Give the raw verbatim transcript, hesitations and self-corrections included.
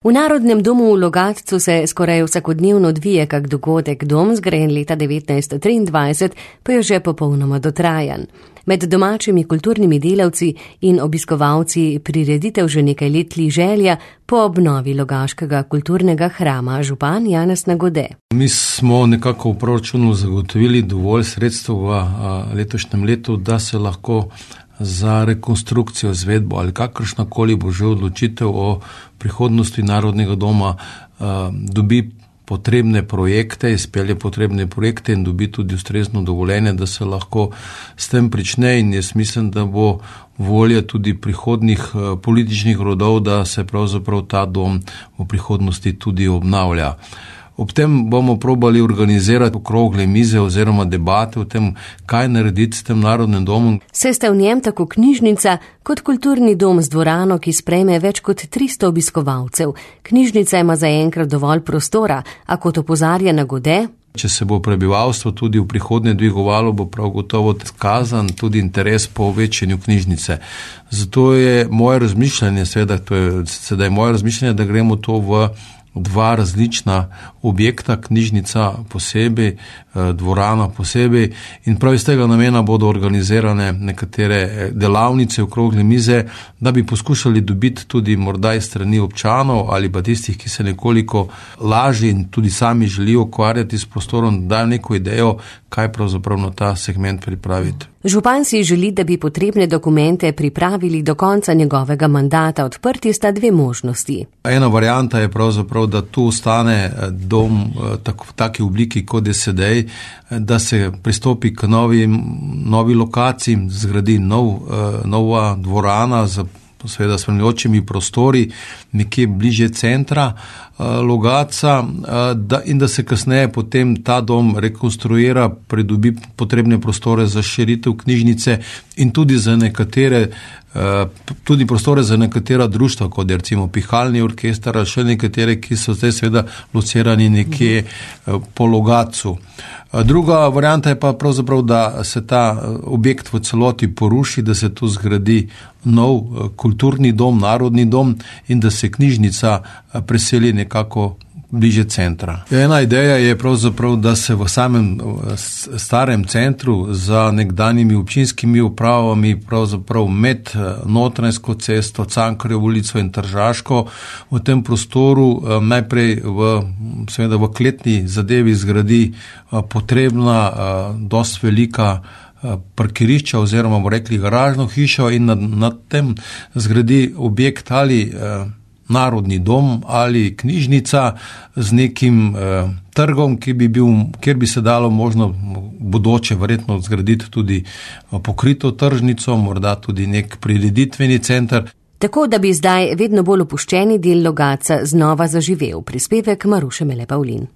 V Narodnem domu v Logatcu se skoraj vsakodnevno odvije kak dogodek. Dom, zgrajen leta devetnajststo triindvajset, pa je že popolnoma dotrajan. Med domačimi kulturnimi delavci in obiskovalci prireditev že nekaj let tli želja po obnovi logaškega kulturnega hrama. Župan Janez Nagode. Mi smo nekako v proračunu zagotovili dovolj sredstev v letošnjem letu, da se lahko za rekonstrukcijo, izvedbo ali kakršnakoli bo že odločitev o prihodnosti Narodnega doma dobi potrebne projekte, izpelje potrebne projekte in dobi tudi ustrezno dovoljenje, da se lahko s tem prične, in jaz mislim, da bo volja tudi prihodnih političnih rodov, da se pravzaprav ta dom v prihodnosti tudi obnavlja. Ob tem bomo probali organizirati okrogle mize oziroma debate o tem, kaj narediti s tem Narodnim domom. Se sta v njem tako knjižnica kot kulturni dom z dvorano, ki sprejme več kot tristo obiskovalcev. Knjižnica ima zaenkrat dovolj prostora, a kot opozarja Nagode, če se bo prebivalstvo tudi v prihodnje dvigovalo, bo prav gotovo skazan tudi interes po večanju knjižnice. Zato je moje razmišljanje, seveda to je sedaj moje razmišljanje, da gremo to v dva različna objekta, knjižnica posebej, dvorana posebej, in prav iz tega namena bodo organizirane nekatere delavnice, okrogle mize, da bi poskušali dobiti tudi morda iz strani občanov ali pa tistih, ki se nekoliko lažje in tudi sami želijo ukvarjati s prostorom, da dajo neko idejo, kaj pravzaprav na ta segment pripraviti. Župan si želi, da bi potrebne dokumente pripravili do konca njegovega mandata. Odprti sta dve možnosti. Ena varianta je pravzaprav, da tu ostane dom tako, v taki obliki, kot je sedaj, da se pristopi k novi, novi lokaciji, zgradi nov, nova dvorana z seveda spremljajočimi prostori, nekje bliže centra Logatca, da, in da se kasneje potem ta dom rekonstruira, pridobi potrebne prostore za širitev knjižnice in tudi za nekatere, tudi prostore za nekatera društva, kot je recimo Pihalni orkester ali še nekatere, ki so zdaj seveda locirani nekje po Logatcu. Druga varianta je pa pravzaprav, da se ta objekt v celoti poruši, da se tu zgradi nov kulturni dom, Narodni dom, in da se knjižnica preseli nekako bliže centra. Ena ideja je pravzaprav, da se v samem starem centru za nekdanjimi občinskimi upravami, pravzaprav med Notranjsko cesto, Cankarjevo ulico in Tržaško, v tem prostoru najprej v, seveda v kletni zadevi zgradi potrebna, dosti velika parkirišča oziroma bomo rekli garažno hišo, in nad, nad tem zgradi objekt ali Narodni dom ali knjižnica z nekim eh, trgom, ki bi bil, kjer bi se dalo možno bodoče verjetno zgraditi tudi pokrito tržnico, morda tudi nek prireditveni center. Tako da bi zdaj vedno bolj opuščeni del Logatca znova zaživel. Prispevek Maruše Mele Pavlin.